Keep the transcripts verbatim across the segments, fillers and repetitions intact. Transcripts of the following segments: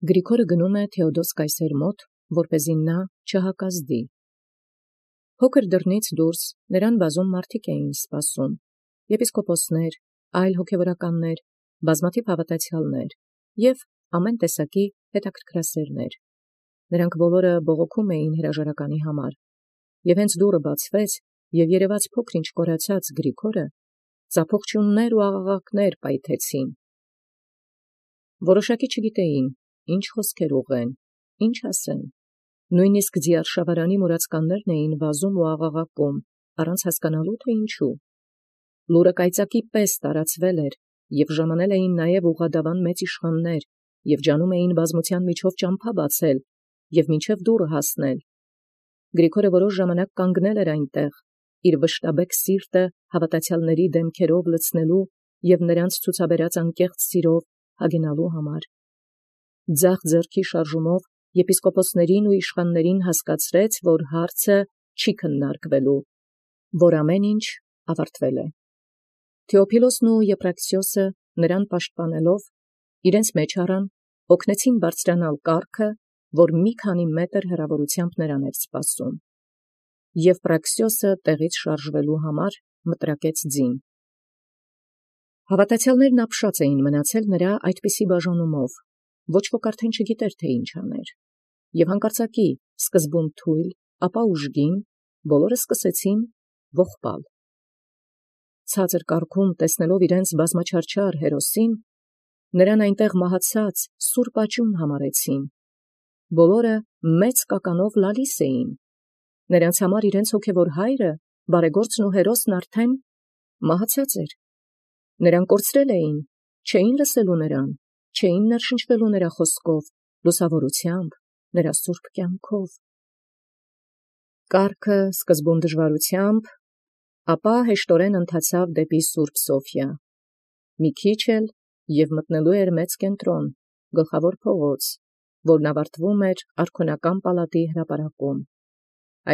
Գրիգորը գնում է Թէոդոս կայսեր մոտ, որպեսզի նա չհակազդի։ Փոքր դռնից դուրս նրան բազում մարդիկ էին սպասում. եպիսկոպոսներ, այլ հոգևորականներ, բազմաթիվ հավատացյալներ և ամեն տեսակի հետաքրքրասերներ։ Նրանք բոլորը բողոքում էին հրաժարականի համար, և հենց դուռը բացվեց, և երևաց փոքր-ինչ կորացած Գրիգորը, ծափողջյուններ ու աղաղակներ պայթեցին։ Որոշակի չգիտեին, ինչ խոսքեր ուղղեն, ինչ ասեն. նույնիսկ ձիարշավարանի մուրացկաններն էին վազում ու աղաղակում, առանց հասկանալու, թե ինչու։ Լուրը կայծակի պես տարածվել էր, և ժամանել էին նաև ուղղադավան մեծ իշխաններ, և ջանում էին բազմության միջով ճամփա բացել, և մինչև դուռը հասնել։ Գրիգորը որոշ ժամանակ կանգնել էր այնտեղ, իր վշտաբեկ սիրտը հավատացյալների դեմքերով լցնելու և նրանց ցուցաբերած անկեղծ սիրով հագենալու համար։ Ձախ ձեռքի շարժումով եպիսկոպոսներին ու իշխաններին հասկացրեց, որ հարցը չի քննարկվելու, որ ամեն ինչ ավարտվել է։ Թէոփիլոսն ու Եփրաքսիոսը նրան պաշտպանելով իրենց մեջ առան, օգնեցին բարձրանալ կառքը, որ մի քանի մետր հեռավորությամբ նրան էր սպասում։ Եւ Պրաքսիոսը տեղից շարժվելու համար մտրակեց ձին։ Հավատացյալներն ապշած էին մնացել նրա այդպիսի բաժանումով, ոչ ոք արդեն չգիտեր, թե ինչ աներ։ Եվ հանկարծակի, սկզբում թույլ, ապա ուժգին, բոլորը սկսեցին ողբալ։ Ցածր կառքում տեսնելով իրենց բազմաչարչար հերոսին, նրան այնտեղ մահացած սուրբ աճուն համարեցին։ Բոլորը մեծ կականով լալիս էին։ Նրանց համար իրենց հոգևոր հայրը, բարեգործն ու հերոսն արդեն մահացած էր։ Նրան կորցրել էին, չէին լսելու նրան, չէին ներշնչվելու նրա խոսքով, լուսավորությամբ, նրա սուրբ կյանքով։ Կառքը սկզբում դժվարությամբ, ապա հեշտորեն ընթացավ դեպի Սուրբ Սոֆիա։ Մի քիչ էլ և մտնելու էր մեծ կենտրոն, գլխավոր փողոց, որն ավարտվում էր արքոնական պալատի հրապարակում։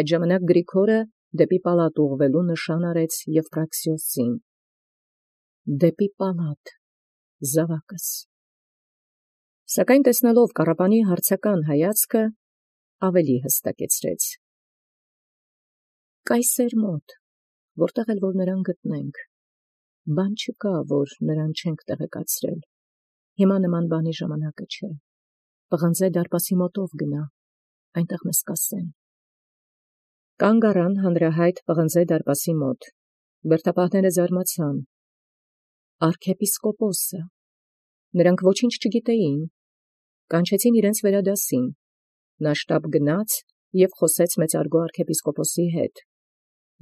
Այդ ժամանակ Գրիգորը դեպի պալատ ուղղվելու նշան արեց Եփրաքսիոսին։ Դեպի պալատ, զավակս։ Սակայն տեսնելով կառապանի հարցական հայացքը, ավելի հստակեցրեց. կայսեր մոտ, որտեղ էլ որ նրան գտնենք, բան չկա, որ նրան չենք տեղեկացրել։ Հիմա նման բանի ժամանակը չէ։ Պղնձե դարպասի մոտով գնա, այնտեղ մեզ կասեն։ Կանգ առան հանրահայտ պղնձե դարպասի մոտ։ Բերդապահները զարմացան։ Արքեպիսկոպոսը։ Նրանք ոչինչ չգիտեին։ Կանչեցին իրենց վերադասին։ Նա շտապ գնաց և խոսեց մեծարգո արքեպիսկոպոսի հետ։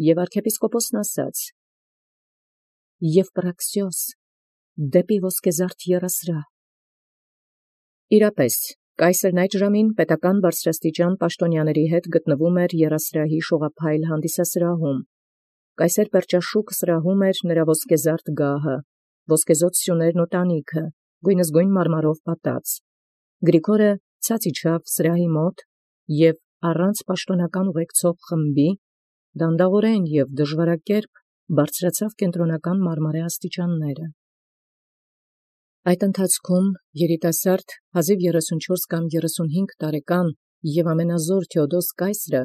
Եվ արքեպիսկոպոսն ասաց. Եփրաքսիոս, դեպի ոսկեզարդ եռասրահ։ Իրապես, կայսերն այդ ժամին պետական բարձրաստիճան պաշտոնյաների հետ գտնվում էր եռասրահի շողափայլ հանդիսասրահում։ Կայսեր Պերճաշուկ սրահում էր նրա ոսկեզարդ գահը, ոսկեզօծ սյուներն ու տանիքը, գույնզգույն մարմարով պատած։ Գրիգորը ցած իջավ սրահի մոտ և առանց պաշտոնական ուղեկցող խմբի, դանդաղորեն և դժվարակերպ բարձրացավ կենտրոնական մարմարե աստիճանները։ Այդ ընթացքում երիտասարդ հազիվ երեսունչորս կամ երեսունհինգ տարեկան և ամենազոր Թէոդոս կայսրը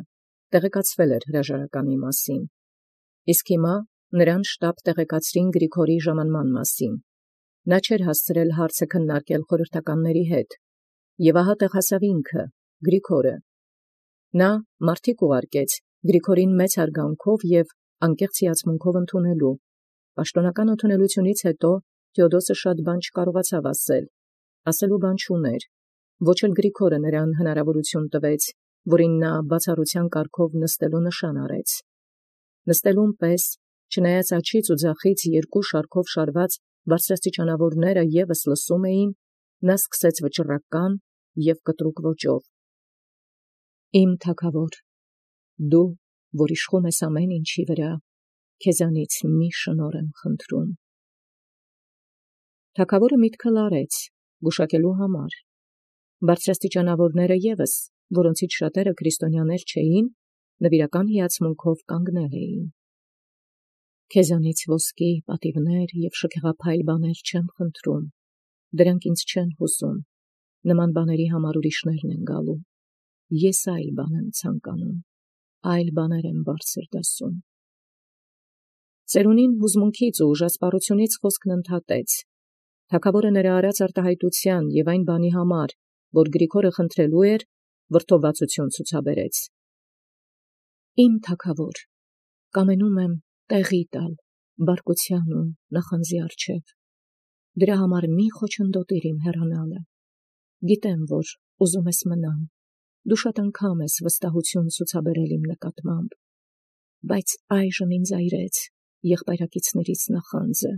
տեղեկացվել էր հրաժարականի մասին, իսկ հիմա նրան շտապ տեղեկացրին Գրիգորի ժամանման մասին։ Նա չէր հասցրել հարցը քննարկել խորհրդականների հետ, և ահա տեղ հասավ ինքը, Գրիգորը։ Նա մարդիկ ուղարկեց Գրիգորին մեծ հարգանքով և անկեղծ հիացմունքով ընդունելու։ Պաշտոնական ընդունելությունից հետո Թէոդոսը շատ բան չկարողացավ ասել, ասելու բան չուներ, ոչ էլ Գրիգորը նրան հնարավորություն տվեց, որին նա բացառության կարգով նստելու նշան արեց։ Նստելուն պես, չնայած աջից ու ձախից երկու շարքով շարված բարձրաստիճանավորները ևս լսում էին, նա սկսեց վճռական և կտրուկ ոճով. Իմ թագավոր, դու, որ իշխում ես ամեն ինչի վրա, քեզանից մի շնորհ եմ խնդրում։ Թագավորը միտքը լարեց, գուշակելու համար։ Բարձրաստիճանավորները ևս, որոնցից շատերը քրիստոնյաներ չէին, նվիրական հիացմունքով կանգնել էին։ Քեզանից ոսկի, պատիվներ և շքեղափայլ բաներ չեմ խնդրում, դրանք ինձ չեն հուզում, նման բաների համար ուրիշներն են գալու։ Ես այլ բան եմ ցանկանում, այլ բաներ եմ բարձր դասում։ Ծերունին հուզմունքից ու ուժասպառությունից խոսքն ընդհատեց։ Թագավորը նրա արած արտահայտության եւ այն բանի համար, որ Գրիգորը խնդրելու էր, վրդովվածություն ցուցաբերեց։ Իմ թագավոր, կամենում եմ տեղի տալ բարկության ու նախանձի առջև։ Դրա համար մի խոչընդոտիր իմ հեռանալը։ Գիտեմ, որ ուզում ես մնամ, դու շատ անգամ ես վստահություն ցուցաբերել իմ նկատմամբ, բայց այժմ ինձ այրեց եղբայրակիցներից նախանձը,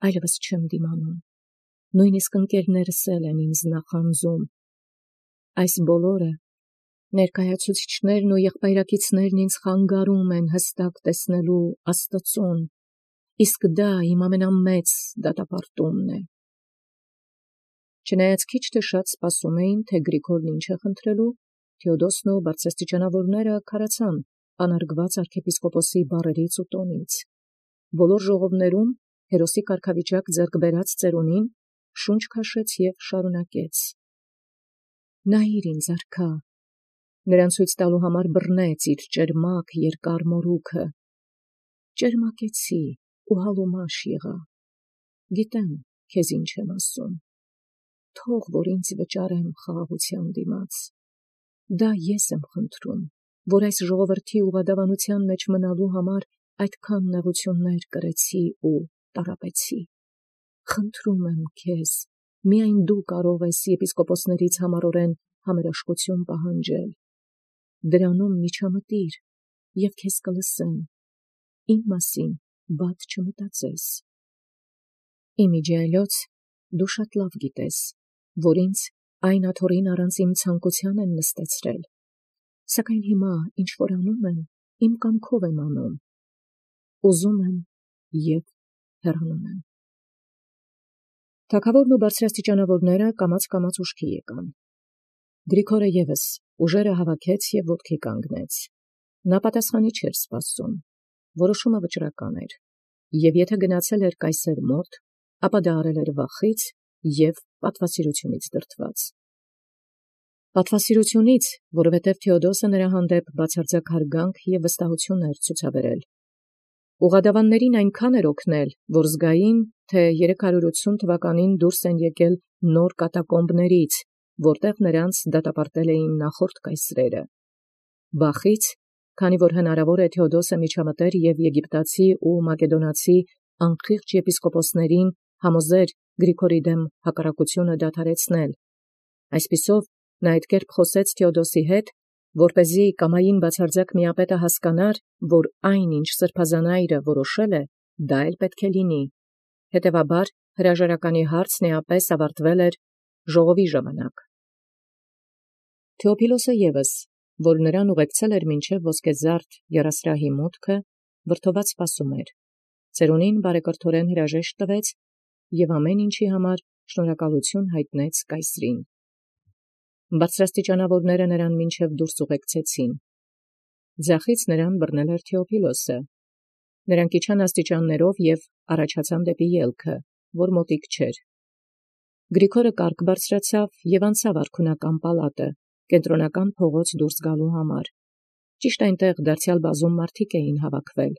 այլևս չեմ դիմանում, նույնիսկ ընկերներս էլ են ինձ նախանձում։ Այս բոլորը ներկայացուցիչներն ու եղբայրակիցներն ինձ խանգարում են հստակ տեսնելու Աստծուն, իսկ դա իմ ամենամեծ դատապարտումն է։ Չնայած քիչ թե շատ սպասում էին, թե Գրիգորն ինչ է խնդրելու, Թեոդոսն ու բարձրաստիճանավորները քարացան անարգված arczepiskoposi բառերից ու տոնից։ Բոլոր ժողովներում հերոսի կարգավիճակ ձեռք բերած ծերունին շունչ քաշեց եւ շարունակեց. Նայիր ինձ արքա, նրան ցույց տալու համար բռնեց իր ճերմակ երկար մորուքը։ Ճերմակեցի ու հալումաշ եղա։ Գիտեմ, քեզ ինչ եմ ասում։ Թող որ ինձ վճարեմ խաղաղության դիմաց։ Դա ես եմ խնդրում, որ այս ժողովրդի ուղղադավանության մեջ մնալու համար այդքան նեղություններ կրեցի ու տարապեցի։ Խնդրում եմ քեզ, միայն դու կարող ես եպիսկոպոսներից համառորեն համերաշխություն պահանջել։ Դրանում միջամտիր եւ քեզ կլսեմ։ Իմ մասին բադ չմտածես։ Իմիջիայլոց դու շատ լավ գիտես, որ ինձ այն աթոռին առանց իմ ցանկության են նստեցրել, սակայն հիմա ինչ որ անում եմ, իմ կամքով եմ անում, ուզում եմ եւ հեռանում եմ։ Թագավորն ու բարձրաստիճանավորները կամաց-կամաց ուշքի եկան։ Գրիգորը եւս ուժերը հավաքեց եւ ոտքի կանգնեց։ Նա պատասխանի չէր սպասում, որոշումը վճռական էր, եւ եթե գնացել էր կայսեր մոտ, ապա դա արել էր վախից եւ պատվասիրությունից դրդված։ Պատվասիրությունից, որովհետև Թեոդոսը նրա հանդեպ բացարձակ հարգանք եւ վստահություն էր ցուցաբերել։ Ուղղադավաններին այնքան էր օգնել, որ զգային, թե երեք հարյուր ութսուն թվականին դուրս են եկել նոր կատակոմբներից, որտեղ նրանց դատապարտել էին նախորդ կայսրերը։ Վախից, քանի որ հնարավոր է Թեոդոսը միջամտեր եւ եգիպտացի ու մակեդոնացի անխիղճ եպիսկոպոսներին համոզեր Գրիգորի դեմ հակառակությունը դադարեցնել։ Այսպիսով նա այդ կերպ խոսեց Թեոդոսի հետ, որպեսզի կամային բացարձակ միապետը հասկանար, որ այն, ինչ սրբազանայրը որոշել է, դա էլ պետք է լինի։ Հետևաբար հրաժարականի հարցն էապես ավարտվել էր ժողովի ժամանակ։ Թեոփիլոսը եւս, որ նրան ուղեկցել էր մինչև ոսկեզարդ երասրահի մուտքը, վրդոված սպասում էր։ Ծերունին բարեկրթորեն հրաժեշտ տվեց եւ ամեն ինչի համար շնորհակալություն հայտնեց կայսրին։ Բարձրաստիճանավորները նրան մինչև դուրս ուղեկցեցին։ Ձախից նրան բռնել էր Թեոփիլոսը։ Նրանք իջան աստիճաններով եւ առաջացան դեպի ելքը, որ մոտիկ չէր։ Գրիգորը կարգ բարձրացավ եւ անցավ արքունական պալատը, կենտրոնական փողոց դուրս գալու համար։ Ճիշտ այնտեղ դարձյալ բազում մարդիկ էին հավաքվել։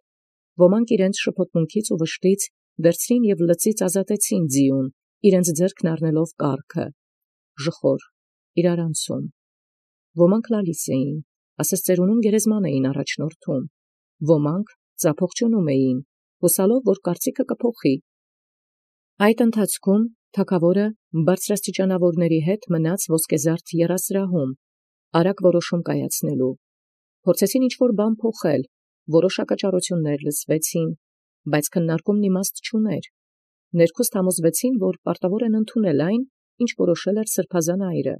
Ոմանք իրենց շփոթմունքից ու վշտից վերցրին եւ լծից ազատեցին ձիուն, իրենց ձեռքն առնելով կառքը, ժխոր, իրարանցում։ Ոմանք լալիս էին, ասես ծերունուն գերեզման էին առաջնորդում։ Ոմանք ծափողջունում էին, հուսալով, որ կարծիքը կփոխի։ Այդ ընթացքում թագավորը բարձրաստիճանավորների հետ մնաց ոսկեզարդ երասրահում, արագ որոշում կայացնելու։ Փորձեցին ինչ-որ բան փոխել, որոշ հակաճառություններ լսվեցին, բայց քննարկումն իմաստ չուներ։ Ներքուստ համոզվեցին, որ պարտավոր են ընդունել այն, ինչ որոշել էր սրբազան այրը։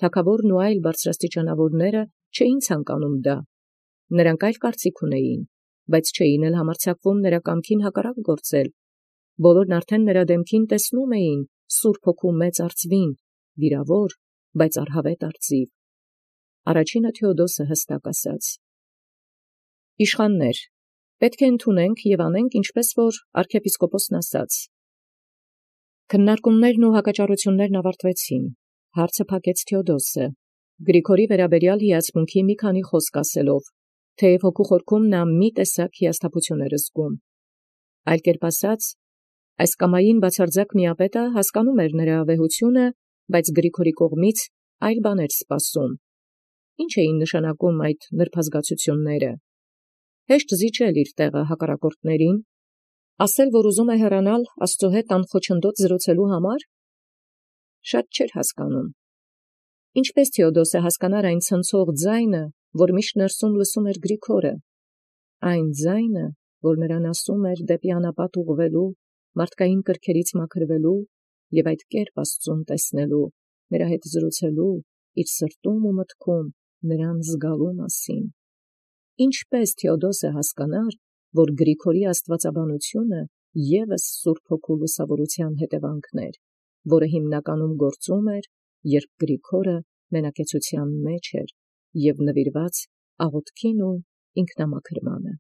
Թագավորն ու այլ բարձրաստիճանավորները չէին ցանկանում դա։ Նրանք այլ կարծիք ունեին, բայց չէին էլ համարձակվում նրա կամքին հակառակ գործել։ Բոլորն արդեն նրա դեմքին տեսնում էին Սուրբ Հոգու մեծ արծվին, վիրավոր, բայց արհավետ արծիվ։ Առաջինը Թեոդոսը հստակ ասաց. Իշխաններ, պետք է ընդունենք եւ անենք, ինչպես որ arczepiskoposն ասաց։ Քննարկումներն ու հակաճառություններն ավարտվեցին։ Հարցը փակեց Թէոդոսը, Գրիգորի վերաբերյալ հիացմունքի մի քանի խոսք ասելով, թեև հոգու խորքում նա մի տեսակ հիասթափություն էր զգում։ Այլ կերպ ասած, այս կամային բացարձակ միապետը հասկանում էր նրա վեհությունը, բայց Գրիգորի կողմից այլ բաներ սպասում։ Ինչ էին նշանակում այդ նրբազգացությունները։ Հեշտ զիջել իր տեղը հակառակորդներին, ասել, որ ուզում է հեռանալ Աստծո հետ անխոչնդոտ զրուցելու համար։ Շատ չէր հասկանում։ Ինչպես Թէոդոսը հասկանար այն ցնցող ձայնը, որ միշտ ներսում լսում էր Գրիգորը, այն ձայնը, որ նրան ասում էր դեպի անապատ ուղղվելու, մարդկային կրքերից մաքրվելու և այդ կերպ Աստծուն տեսնելու, նրա հետ զրուցելու, իր սրտում ու մտքում նրան զգալու մասին։ Ինչպես Թէոդոսը հասկանար, որ Գրիգորի աստվածաբանությունը ևս Սուրբ Հոգու լուսավորության հետևանքն էր, որը հիմնականում գործում էր, երբ Գրիգորը մենակեցության մեջ էր և նվիրված աղոթքին ու ինքնամաքրմանը։